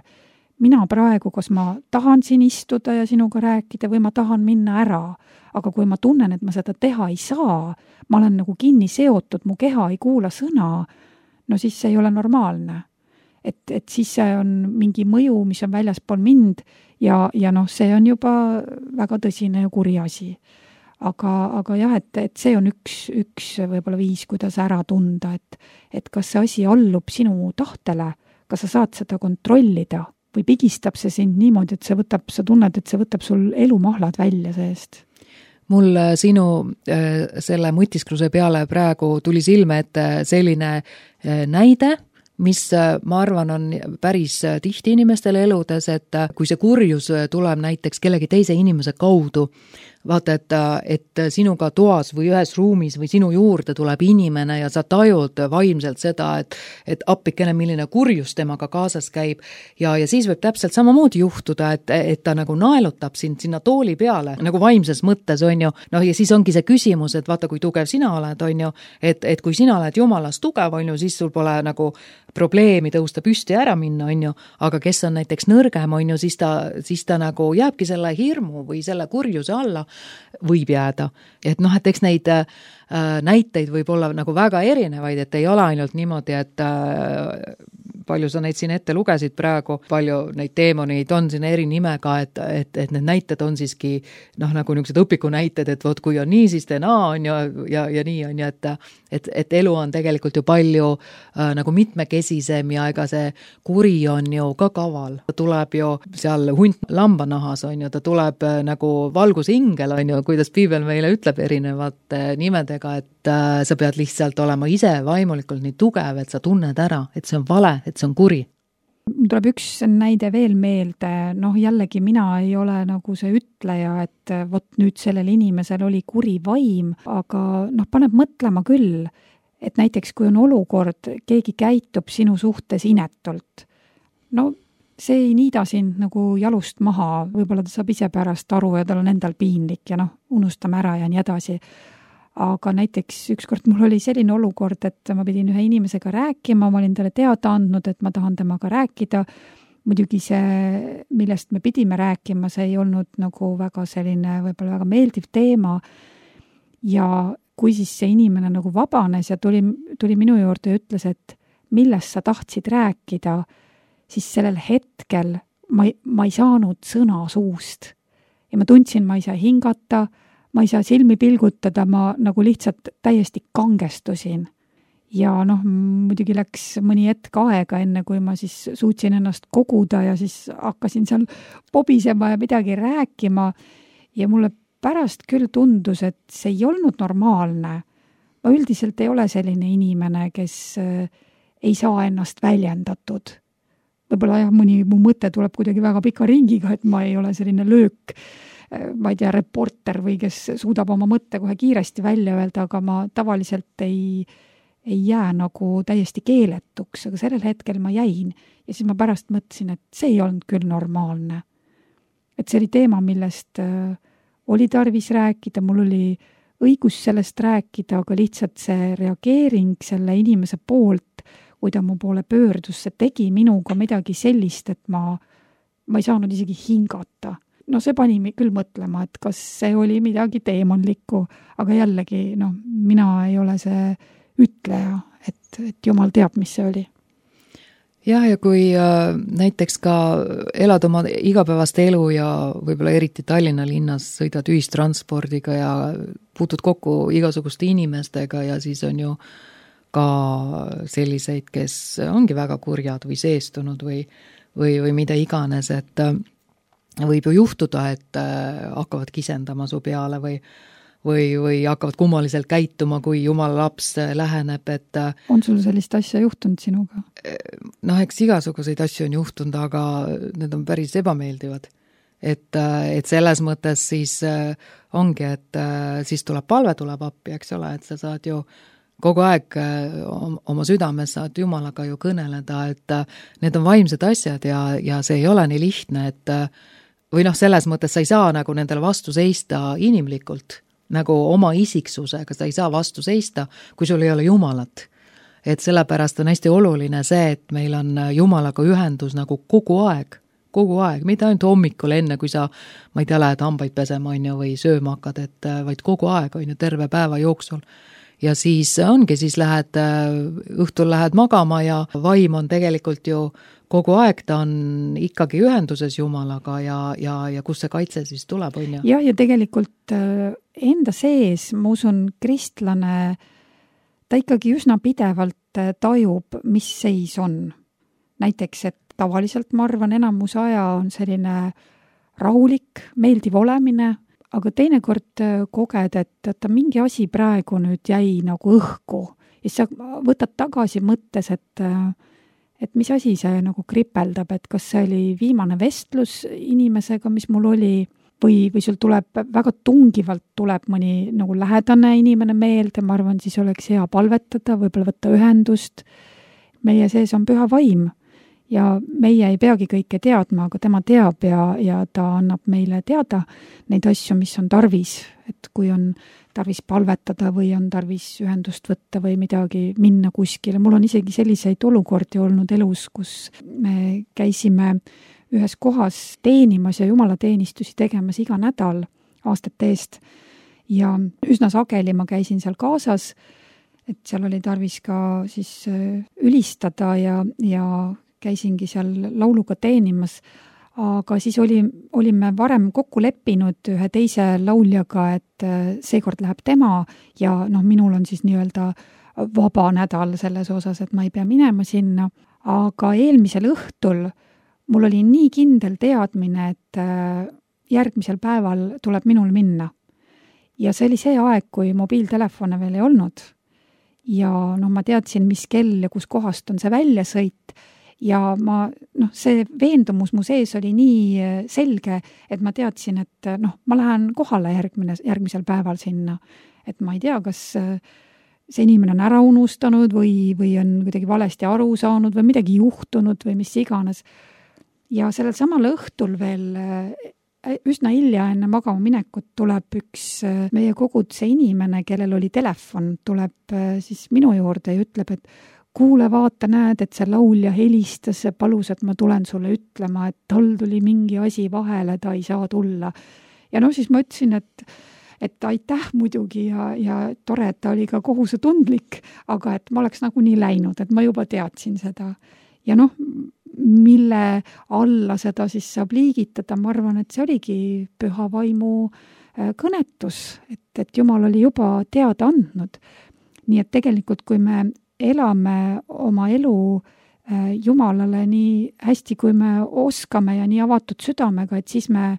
Mina praegu, kas ma tahan siin istuda ja sinuga rääkida või ma tahan minna ära, aga kui ma tunnen, et ma seda teha ei saa, ma olen nagu kinni seotud, mu keha ei kuula sõna, siis see ei ole normaalne. Et siis see on mingi mõju, mis on väljaspool mind ja see on juba väga tõsine ja kuri asi. Aga jah, et see on üks võib-olla viis, kuidas ära tunda, et kas see asi allub sinu tahtele, kas sa saad seda kontrollida või pigistab see sind niimoodi, et sa tunned, et see võtab sul elumahlad välja seest. Mul sinu selle mõtiskluse peale praegu tuli silme ette selline näide, mis ma arvan on päris tihti inimestele eludes, et kui see kurjus tuleb näiteks kellegi teise inimese kaudu, vaata, et sinuga toas või ühes ruumis või sinu juurde tuleb inimene ja sa tajud vaimselt seda, et appikene milline kurjus temaga kaasas käib ja siis võib täpselt samamoodi juhtuda, et ta nagu naelutab sind sinna tooli peale, nagu vaimses mõttes on ju, ja siis ongi see küsimus, et vaata, kui tugev sina oled, on ju, et kui sina oled Jumalast tugev, on ju, siis sul pole nagu probleemi tõusta püsti ära minna, on ju, aga kes on näiteks nõrgem, on ju, siis ta nagu jääbki selle hirmu või selle kurjuse alla, võib jääda. Et eks neid näiteid võib olla nagu väga erinevaid, et ei ole ainult niimoodi, et palju sa neid siin ette lugesid praegu, palju neid teemoneid on siin eri nimega, et need näited on siiski nagu niisugused õpiku näited, et vot kui on nii, siis tee naa on ja nii on ju, et elu on tegelikult ju palju nagu mitmekesisem ja ega see kuri on ju ka kaval. Ta tuleb ju seal hunt lambanahas on ju, ta tuleb nagu valgusingel on ju, kuidas piibel meile ütleb erinevate nimedega, et sa pead lihtsalt olema ise vaimulikult nii tugev, et sa tunned ära, et see on vale, et see on kuri. Mul tuleb üks näide veel meelde, jällegi mina ei ole nagu see ütleja, et vot nüüd sellel inimesel oli kuri vaim, aga paneb mõtlema küll, et näiteks kui on olukord, keegi käitub sinu suhtes inetult, see ei niida sind nagu jalust maha, võib-olla ta saab ise pärast aru ja tal on endal piinlik ja unustame ära ja nii edasi. Aga näiteks ükskord mul oli selline olukord, et ma pidin ühe inimesega rääkima, ma olin talle teada andnud, et ma tahan temaga rääkida. Muidugi see, millest me pidime rääkima, see ei olnud nagu väga selline võib-olla väga meeldiv teema. Ja kui siis see inimene nagu vabanes ja tuli minu juurde ja ütles, et millest sa tahtsid rääkida, siis sellel hetkel ma ei saanud sõna suust. Ja ma tundsin, ma ei saa hingata, ma ei saa silmi pilgutada, ma nagu lihtsalt täiesti kangestusin. Ja muidugi läks mõni hetk aega, enne kui ma siis suutsin ennast koguda ja siis hakkasin seal pobisema ja midagi rääkima. Ja mulle pärast küll tundus, et see ei olnud normaalne. Ma üldiselt ei ole selline inimene, kes ei saa ennast väljendatud. Võib-olla mõni mu mõte tuleb kuidagi väga pika ringiga, et ma ei ole selline löök, ma ei tea, reporter või kes suudab oma mõtte kohe kiiresti välja öelda, aga ma tavaliselt ei jää nagu täiesti keeletuks, aga sellel hetkel ma jäin ja siis ma pärast mõtlesin, et see ei olnud küll normaalne. Et see oli teema, millest oli tarvis rääkida, mul oli õigus sellest rääkida, aga lihtsalt see reageering selle inimese poolt, kui ta mu poole pöördus, see tegi minuga midagi sellist, et ma ei saanud isegi hingata. See pani küll mõtlema, et kas see oli midagi teemonlikku, aga jällegi, mina ei ole see ütleja, et Jumal teab, mis see oli. Ja kui näiteks ka elad oma igapäevast elu ja võib-olla eriti Tallinna linnas sõidad ühistranspordiga ja puutud kokku igasuguste inimestega ja siis on ju ka selliseid, kes ongi väga kurjad või seestunud või mida iganes, et võib ju juhtuda, et hakkavad kisendama su peale või hakkavad kummaliselt käituma, kui Jumala laps läheneb, et on sul sellist asja juhtunud sinuga? Eks igasuguseid asju on juhtunud, aga need on päris ebameeldivad. Et selles mõttes siis ongi, et siis palve tuleb appi, eks ole, et sa saad ju kogu aeg oma südames saad Jumalaga ju kõneleda, et need on vaimsed asjad ja see ei ole nii lihtne, et või selles mõttes sa ei saa nagu nendele vastu seista inimlikult, nagu oma isiksusega, sa ei saa vastu seista, kui sul ei ole Jumalat. Et sellepärast on hästi oluline see, et meil on Jumalaga ühendus nagu kogu aeg, mitte ainult hommikul enne, kui sa, ma ei tea, lähed hambaid pesema on ju, või sööma hakkad, et vaid kogu aeg on ju terve päeva jooksul. Ja siis ongi, siis õhtul lähed magama ja vaim on tegelikult ju kogu aeg, ta on ikkagi ühenduses Jumalaga ja kus see kaitse siis tuleb, on ju? Ja tegelikult enda sees, ma usun, kristlane, ta ikkagi üsna pidevalt tajub, mis seis on. Näiteks, et tavaliselt ma arvan, enamus aja on selline rahulik, meeldiv olemine, aga teinekord koged, et mingi asi praegu nüüd jäi nagu õhku. Ja sa võtad tagasi mõttes, et mis asi see nagu kripeldab, et kas see oli viimane vestlus inimesega, mis mul oli, või sul tuleb väga tungivalt tuleb mõni nagu lähedane inimene meelde, ma arvan, siis oleks hea palvetada, võib-olla võtta ühendust. Meie sees on püha vaim ja meie ei peagi kõike teadma, aga tema teab ja ta annab meile teada neid asju, mis on tarvis, et kui on tarvis palvetada või on tarvis ühendust võtta või midagi minna kuskile. Mul on isegi selliseid olukordi olnud elus, kus me käisime ühes kohas teenimas ja jumalateenistusi tegemas iga nädal aastate eest ja üsna sageli ma käisin seal kaasas, et seal oli tarvis ka siis ülistada ja käisingi seal lauluga teenimas, aga siis olime varem kokku leppinud ühe teise lauljaga, et seekord läheb tema ja minul on siis nii-öelda vaba nädal selles osas, et ma ei pea minema sinna, aga eelmisel õhtul mul oli nii kindel teadmine, et järgmisel päeval tuleb minul minna. Ja see oli see aeg, kui mobiiltelefone veel ei olnud. Ja ma teadsin, mis kell ja kus kohast on see väljasõit. Ja see veendumus mu sees oli nii selge, et ma teadsin, et ma lähen kohale järgmisel päeval sinna. Et ma ei tea, kas see inimene on ära unustanud või on kuidagi valesti aru saanud või midagi juhtunud või mis iganes. Ja sellel samal õhtul veel üsna hilja enne magama minekut tuleb üks meie koguduse inimene, kellel oli telefon, tuleb siis minu juurde ja ütleb, et kuule, vaata, näed, et see laulja helistas ja palus, et ma tulen sulle ütlema, et tal tuli mingi asi vahele, ta ei saa tulla. Ja siis ma ütlesin, et aitäh muidugi ja tore, et ta oli ka kohusetundlik, aga et ma oleks nagunii läinud, et ma juba teadsin seda. Ja mille alla seda siis saab liigitada, ma arvan, et see oligi püha vaimu kõnetus, et Jumal oli juba teada andnud. Nii et tegelikult, kui me elame oma elu Jumalale nii hästi, kui me oskame ja nii avatud südamega, et siis me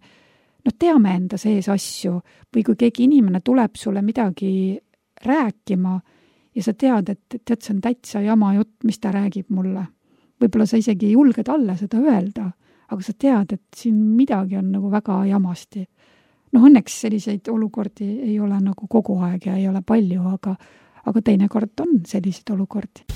teame enda sees asju või kui keegi inimene tuleb sulle midagi rääkima ja sa tead, et see on täitsa jama jutt, mis ta räägib mulle. Võib-olla sa isegi ei julge talle seda öelda, aga sa tead, et siin midagi on nagu väga jamasti. Õnneks selliseid olukordi ei ole nagu kogu aeg ja ei ole palju, aga teinekord on selliseid olukordi.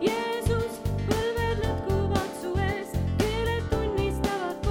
Jeesus, põlved lõtkuvad su ees, keeled tunnistavad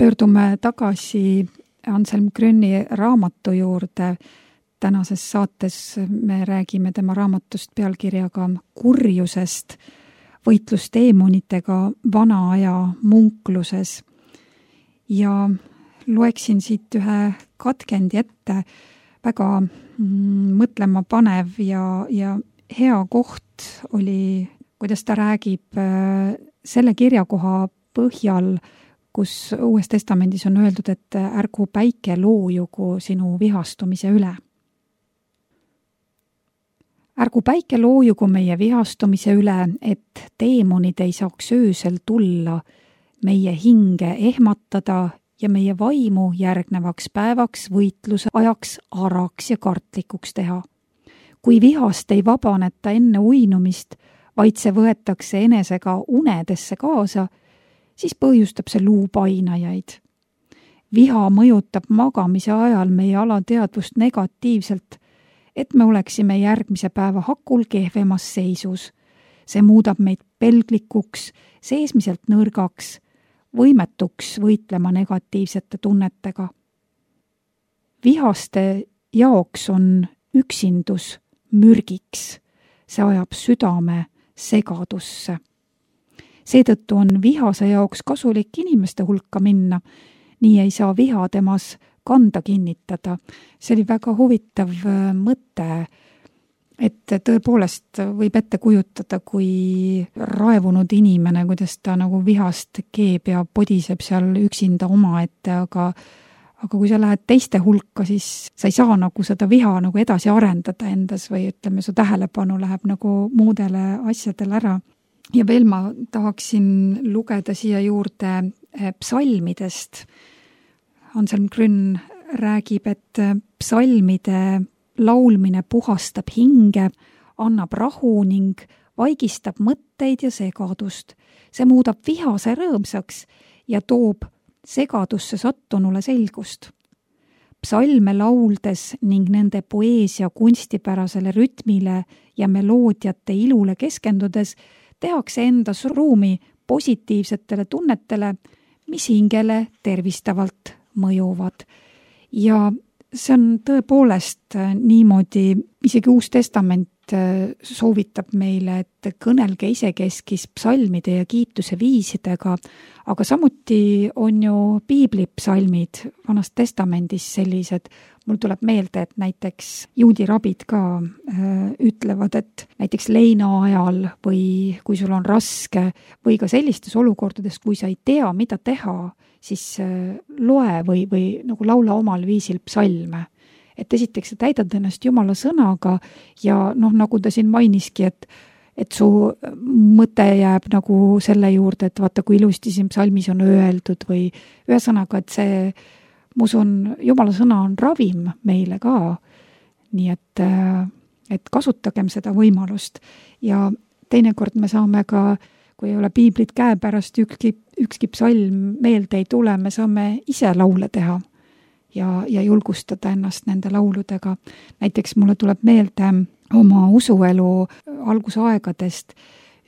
Pöördume tagasi Anselm Grünni raamatu juurde. Tänases saates me räägime tema raamatust pealkirjaga Kurjusest, võitlus teemonitega vana aja munkluses. Ja loeksin siit ühe katkendi ette, väga mõtlema panev ja hea koht oli, kuidas ta räägib selle kirjakoha põhjal, kus Uues Testamendis on öeldud, et ärgu päike loojugu sinu vihastumise üle. Ärgu päike loojugu meie vihastumise üle, et teemonid ei saaks öösel tulla, meie hinge ehmatada ja meie vaimu järgnevaks päevaks võitluse ajaks araks ja kartlikuks teha. Kui vihast ei vabaneta enne uinumist, vaid see võetakse enesega unedesse kaasa, siis põhjustab see luupainajaid. Viha mõjutab magamise ajal meie alateadvust negatiivselt, et me oleksime järgmise päeva hakul kehvemas seisus. See muudab meid pelglikuks, seesmiselt nõrgaks, võimetuks võitlema negatiivsete tunnetega. Vihaste jaoks on üksindus mürgiks. See ajab südame segadusse. Seetõttu on vihase jaoks kasulik inimeste hulka minna, nii ei saa viha temas kanda kinnitada. See oli väga huvitav mõte, et tõepoolest võib ette kujutada, kui raevunud inimene, kuidas ta nagu vihast keeb ja podiseb seal üksinda omaette, aga kui sa lähed teiste hulka, siis sa ei saa nagu seda viha nagu edasi arendada endas või ütleme, su tähelepanu läheb nagu muudele asjadele ära. Ja veel ma tahaksin lugeda siia juurde psalmidest. Anselm Grün räägib, et psalmide laulmine puhastab hinge, annab rahu ning vaigistab mõtteid ja segadust. See muudab vihase rõõmsaks ja toob segadusse sattunule selgust. Psalme lauldes ning nende poeesia kunstipärasele rütmile ja meloodiate ilule keskendudes tehakse endas ruumi positiivsetele tunnetele, mis hingele tervistavalt mõjuvad. Ja see on tõepoolest niimoodi, isegi Uus Testament soovitab meile, et kõnelge isekeskis psalmide ja kiituse viisidega, aga samuti on ju piiblipsalmid Vanast Testamendis sellised. Mul tuleb meelde, et näiteks juudi rabid ka ütlevad, et näiteks leina ajal või kui sul on raske või ka sellistes olukordades, kui sa ei tea, mida teha, siis loe või nagu laula omal viisil psalme. Et esiteks sa täidad ennast Jumala sõnaga ja nagu ta siin mainiski, et su mõte jääb nagu selle juurde, et vaata, kui ilusti siin psalmis on öeldud või ühesõnaga, et see, ma usun, Jumala sõna on ravim meile ka. Nii et kasutagem seda võimalust ja teinekord me saame ka, kui ei ole piiblit käepärast, ükski psalm meelde ei tule, me saame ise laule teha. Ja julgustada ennast nende lauludega. Näiteks mulle tuleb meelde oma usuelu algusaegadest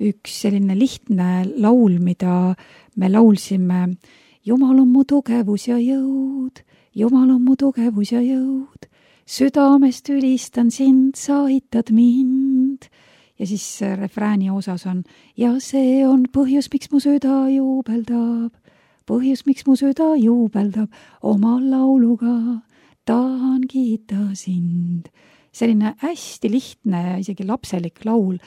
üks selline lihtne laul, mida me laulsime. Jumal on mu tugevus ja jõud, Jumal on mu tugevus ja jõud, südamest ülistan sind, sa aitad mind. Ja siis refrääni osas on, ja see on põhjus, miks mu süda juubeldab. Põhjus, miks mu süda juubeldab, oma lauluga tahan kiita sind. Selline hästi lihtne, isegi lapselik laul,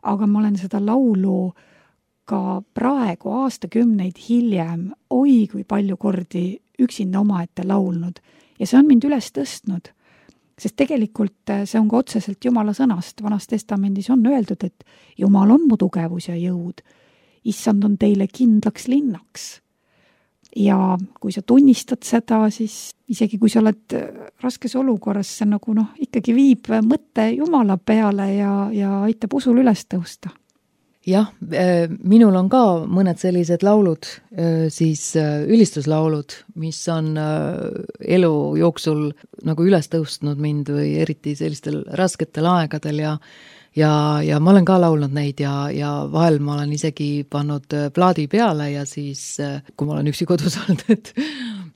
aga ma olen seda laulu ka praegu aastakümneid hiljem, oi kui palju kordi üksinda omaette laulnud ja see on mind üles tõstnud. Sest tegelikult see on ka otseselt Jumala sõnast. Vanas Testamendis on öeldud, et Jumal on mu tugevus ja jõud. Issand on teile kindlaks linnaks. Ja kui sa tunnistad seda, siis isegi kui sa oled raskes olukorras, see nagu ikkagi viib mõtte Jumala peale ja aitab usul üles tõusta. Jah, minul on ka mõned sellised laulud, siis ülistuslaulud, mis on elu jooksul nagu üles tõustnud mind või eriti sellistel rasketel aegadel ja ma olen ka laulnud neid ja vahel ma olen isegi pannud plaadi peale ja siis, kui ma olen üksi kodus olnud,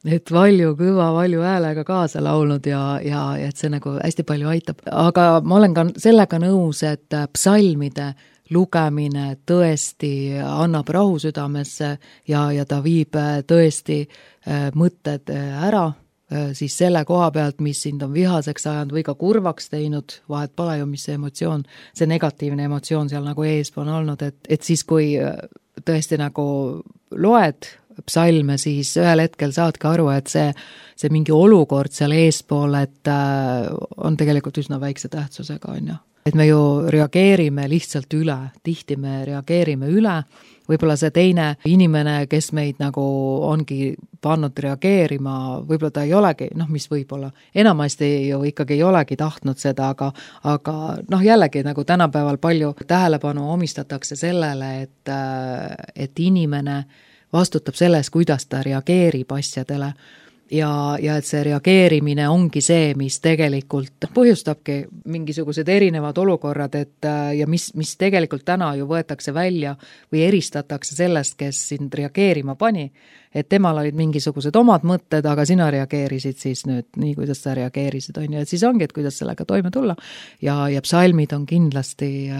et kõva valju häälega kaasa laulnud ja et see nagu hästi palju aitab. Aga ma olen ka sellega nõus, et psalmide lugemine tõesti annab rahu südamesse ja ta viib tõesti mõtted ära siis selle koha pealt, mis sind on vihaseks ajanud või ka kurvaks teinud, vahet pole ju, mis see emotsioon, see negatiivne emotsioon seal nagu ees on olnud, et siis kui tõesti nagu loed psalme, siis ühel hetkel saadki aru, et see mingi olukord seal eespool, et on tegelikult üsna väikse tähtsusega, on ju. Et me ju reageerime lihtsalt üle, tihti me reageerime üle, võib-olla see teine inimene, kes meid nagu ongi pannud reageerima, võib-olla ta ei olegi, mis võib-olla, enamasti ju ikkagi ei olegi tahtnud seda, aga jällegi nagu tänapäeval palju tähelepanu omistatakse sellele, et inimene vastutab selles, kuidas ta reageerib asjadele ja et see reageerimine ongi see, mis tegelikult põhjustabki mingisugused erinevad olukorrad, ja mis tegelikult täna ju võetakse välja või eristatakse sellest, kes sind reageerima pani, et temal olid mingisugused omad mõtted, aga sina reageerisid siis nüüd nii, kuidas sa reageerisid, on ju, et siis ongi, et kuidas sellega toime tulla ja psalmid on kindlasti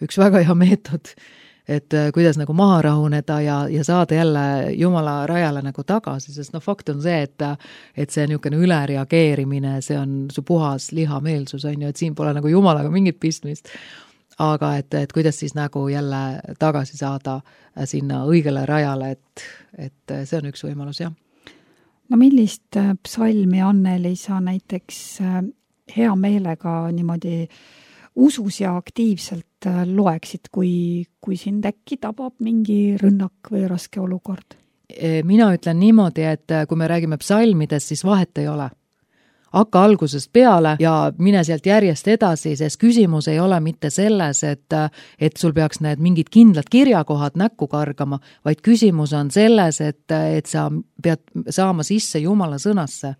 üks väga hea meetod, et kuidas nagu maha rahuneda ja saada jälle Jumala rajale nagu tagasi, sest fakt on see, et see niisugune ülereageerimine, see on su puhas lihameelsus, on ju, et siin pole nagu Jumalaga mingit pistmist, aga et kuidas siis nagu jälle tagasi saada sinna õigele rajale, et see on üks võimalus, jah. No millist psalmi, Anneli, sa näiteks hea meelega niimoodi usus ja aktiivselt loeksid, kui sind äkki tabab mingi rünnak või raske olukord? Mina ütlen niimoodi, et kui me räägime psalmidest, siis vahet ei ole. Hakka algusest peale ja mine sealt järjest edasi, sest küsimus ei ole mitte selles, et sul peaks need mingid kindlad kirjakohad näkku kargama, vaid küsimus on selles, et sa pead saama sisse Jumala sõnasse.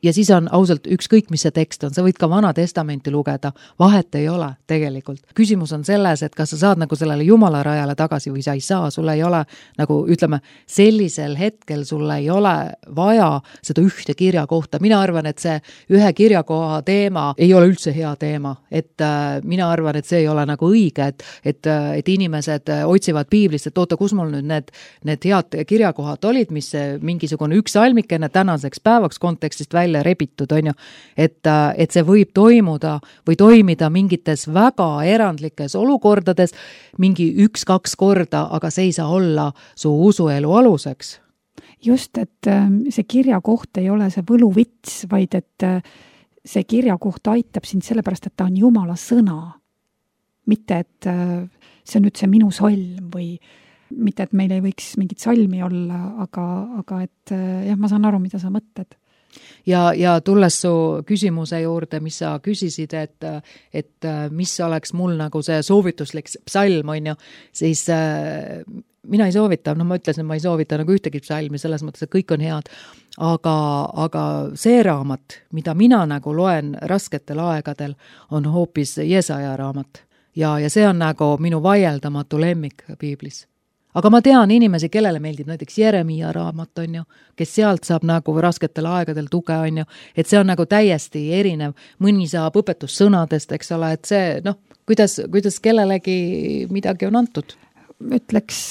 Ja siis on ausalt ükskõik, mis see tekst on, sa võid ka Vana Testamenti lugeda, vahet ei ole tegelikult. Küsimus on selles, et kas sa saad nagu sellele Jumala rajale tagasi või sa ei saa, sulle ei ole nagu, ütleme, sellisel hetkel sulle ei ole vaja seda ühte kirja kohta. Mina arvan, et see ühe kirjakoha teema ei ole üldse hea teema, et mina arvan, et see ei ole nagu õige, et inimesed otsivad piiblist, et oota, kus mul nüüd need head kirjakohad olid, mis mingisugune üks salmikene tänaseks päevaks kontekstist välja rebitud, on ju, et see võib toimuda või toimida mingites väga erandlikes olukordades, mingi 1-2 korda, aga see ei saa olla su usuelu aluseks. Just, et see kirjakoht ei ole see võluvits, vaid et see kirjakoht aitab sind sellepärast, et ta on Jumala sõna. Mitte, et see on nüüd see minu salm või mitte, et meil ei võiks mingit salmi olla, aga et jah, ma saan aru, mida sa mõtled. Ja tulles su küsimuse juurde, mis sa küsisid, et mis oleks mul nagu see soovituslik psalm, on ju, siis mina ei soovita, ma ütlesin, ma ei soovita nagu ühtegi psalmi, selles mõttes, et kõik on head, aga see raamat, mida mina nagu loen rasketel aegadel, on hoopis Jesaja raamat ja see on nagu minu vaieldamatu lemmik piiblis. Aga ma tean inimesi, kellele meeldib näiteks Jeremia raamat, on ju, kes sealt saab nagu rasketel aegadel tuge, on ju, et see on nagu täiesti erinev. Mõni saab õpetussõnadest, eks ole, et see, kuidas kellelegi midagi on antud. Ütleks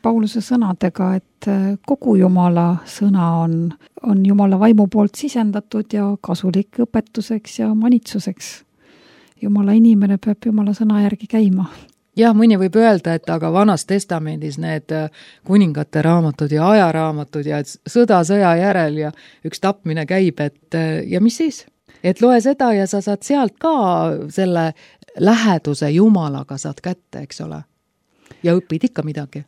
Pauluse sõnadega, et kogu Jumala sõna on Jumala vaimu poolt sisendatud ja kasulik õpetuseks ja manitsuseks. Jumala inimene peab Jumala sõna järgi käima. Jah, mõni võib öelda, et aga Vanas Testamendis need kuningate raamatud ja ajaraamatud ja sõda sõja järel ja üks tapmine käib, ja mis siis? Et loe seda ja sa saad sealt ka selle läheduse Jumalaga saad kätte, eks ole. Ja õpid ikka midagi.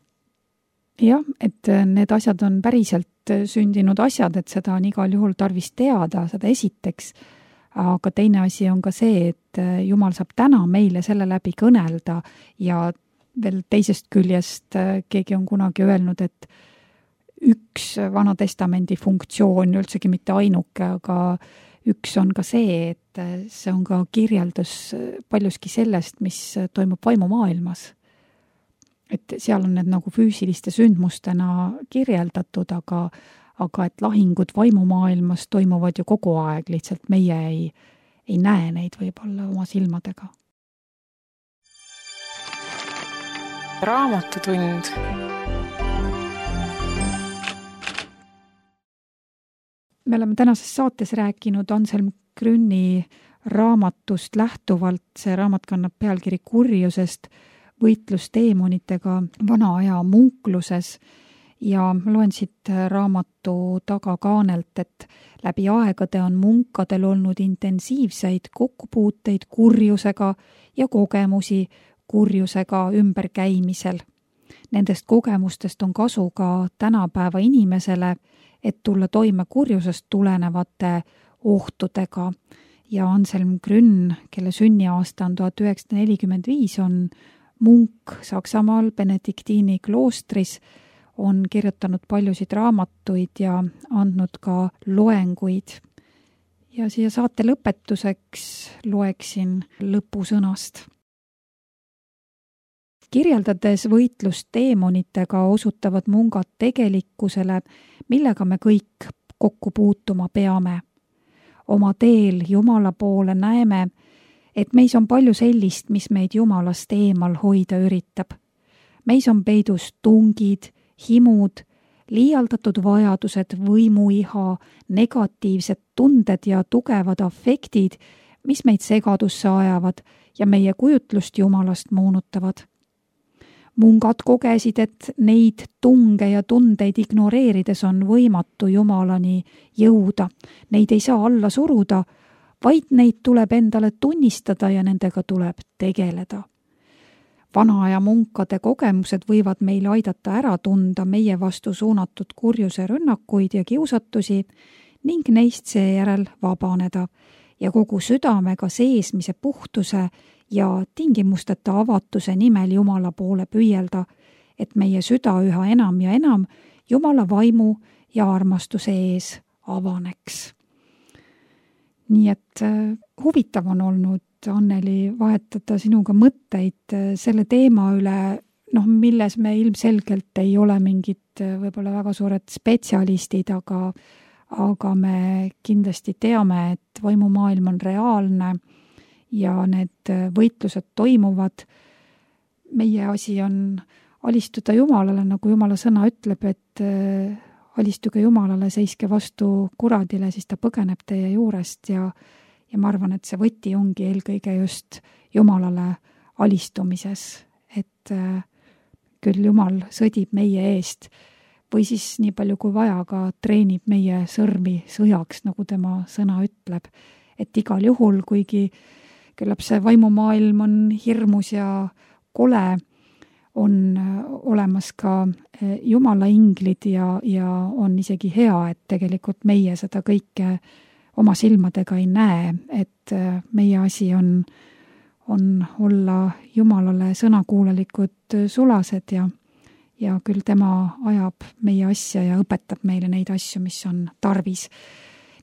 Jah, et need asjad on päriselt sündinud asjad, et seda on igal juhul tarvis teada, seda esiteks. Aga teine asi on ka see, et Jumal saab täna meile selle läbi kõnelda ja veel teisest küljest keegi on kunagi öelnud, et üks Vana Testamendi funktsioon, üldsegi mitte ainuke, aga üks on ka see, et see on ka kirjeldus paljuski sellest, mis toimub vaimumaailmas. Et seal on need nagu füüsiliste sündmustena kirjeldatud, aga et lahingud vaimumaailmas toimuvad ju kogu aeg, lihtsalt meie ei näe neid võib-olla oma silmadega. Raamatutund. Me oleme tänases saates rääkinud Anselm Grünni raamatust lähtuvalt. See raamat kannab pealkiri Kurjusest, võitlus teemonitega vana aja munkluses. Ja ma loen siit raamatu tagakaanelt, et läbi aegade on munkadel olnud intensiivseid kokkupuuteid kurjusega ja kogemusi kurjusega ümberkäimisel. Nendest kogemustest on kasu ka tänapäeva inimesele, et tulla toime kurjusest tulenevate ohtudega. Ja Anselm Grün, kelle sünniaasta on 1945, on munk Saksamaal Benediktiini kloostris, on kirjutanud paljusid raamatuid ja andnud ka loenguid. Ja siia saate lõpetuseks loeksin lõpusõnast. Kirjeldades võitlust teemonitega osutavad mungad tegelikkusele, millega me kõik kokku puutuma peame. Oma teel Jumala poole näeme, et meis on palju sellist, mis meid Jumalast eemal hoida üritab. Meis on peidus tungid, himud, liialdatud vajadused, võimuiha, negatiivsed tunded ja tugevad afektid, mis meid segadusse ajavad ja meie kujutlust Jumalast moonutavad. Mungad kogesid, et neid tunge ja tundeid ignoreerides on võimatu Jumalani jõuda. Neid ei saa alla suruda, vaid neid tuleb endale tunnistada ja nendega tuleb tegeleda. Vana aja munkade kogemused võivad meile aidata ära tunda meie vastu suunatud kurjuse rünnakuid ja kiusatusi ning neist seejärel vabaneda ja kogu südamega seesmise puhtuse ja tingimusteta avatuse nimel Jumala poole püüelda, et meie süda üha enam ja enam Jumala vaimu ja armastuse ees avaneks. Nii et huvitav on olnud, Anneli, vahetada sinuga mõtteid selle teema üle, milles me ilmselgelt ei ole mingid võib-olla väga suured spetsialistid, aga me kindlasti teame, et vaimumaailm on reaalne ja need võitlused toimuvad. Meie asi on alistuda Jumalale, nagu Jumala sõna ütleb, et alistuge Jumalale, seiske vastu kuradile, siis ta põgeneb teie juurest ja ma arvan, et see võti ongi eelkõige just Jumalale alistumises, et küll Jumal sõdib meie eest või siis nii palju kui vaja ka treenib meie sõrmi sõjaks, nagu tema sõna ütleb, et igal juhul, kuigi küllap see vaimumaailm on hirmus ja kole, on olemas ka Jumala inglid ja on isegi hea, et tegelikult meie seda kõike oma silmadega ei näe, et meie asi on olla Jumalale sõnakuulelikud sulased ja küll tema ajab meie asja ja õpetab meile neid asju, mis on tarvis.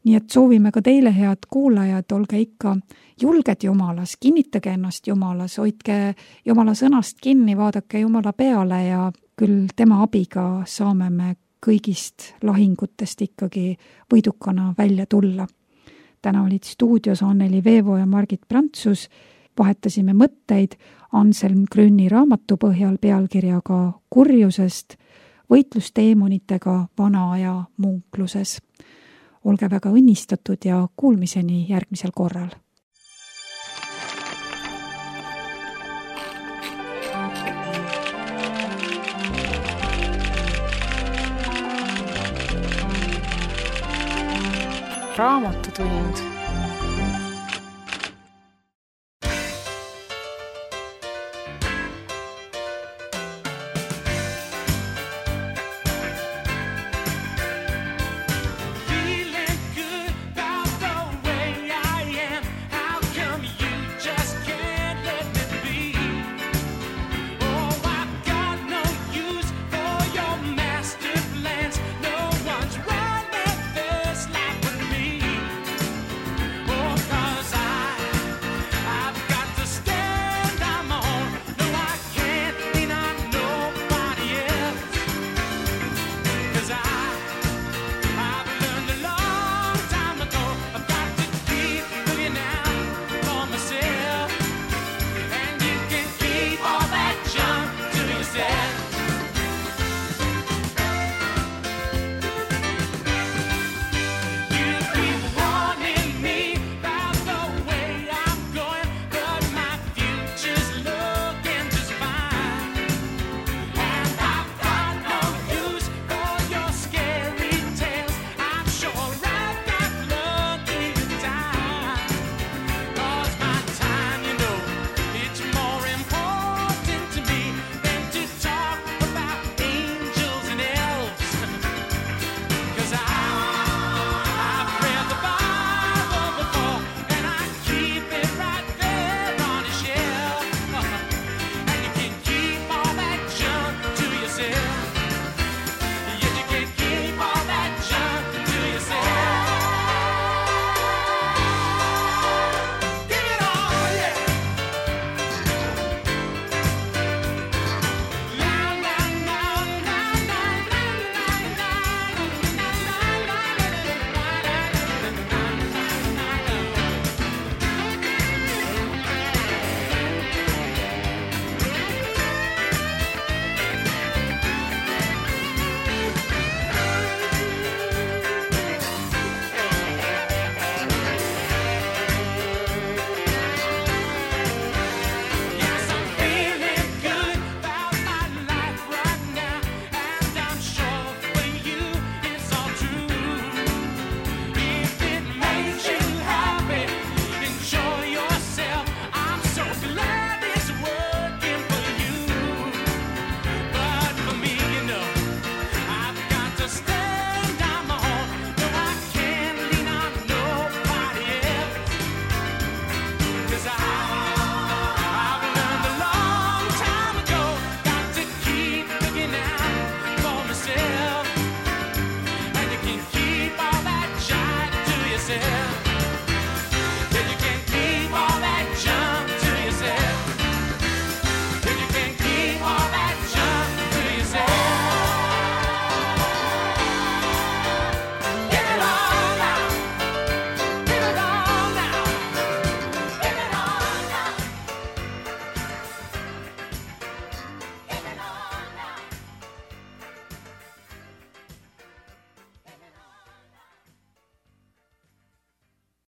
Nii et soovime ka teile, head kuulajad, olge ikka julged Jumalas, kinnitage ennast Jumalas, hoidke Jumala sõnast kinni, vaadake Jumala peale ja küll tema abiga saame me kõigist lahingutest ikkagi võidukana välja tulla. Täna olid stuudios Anneli Veevo ja Margit Prantsus, vahetasime mõtteid Anselm Grünni raamatu põhjal pealkirjaga Kurjusest, võitlus teemonitega vana aja munkluses. Olge väga õnnistatud ja kuulmiseni järgmisel korral. Raamatutund.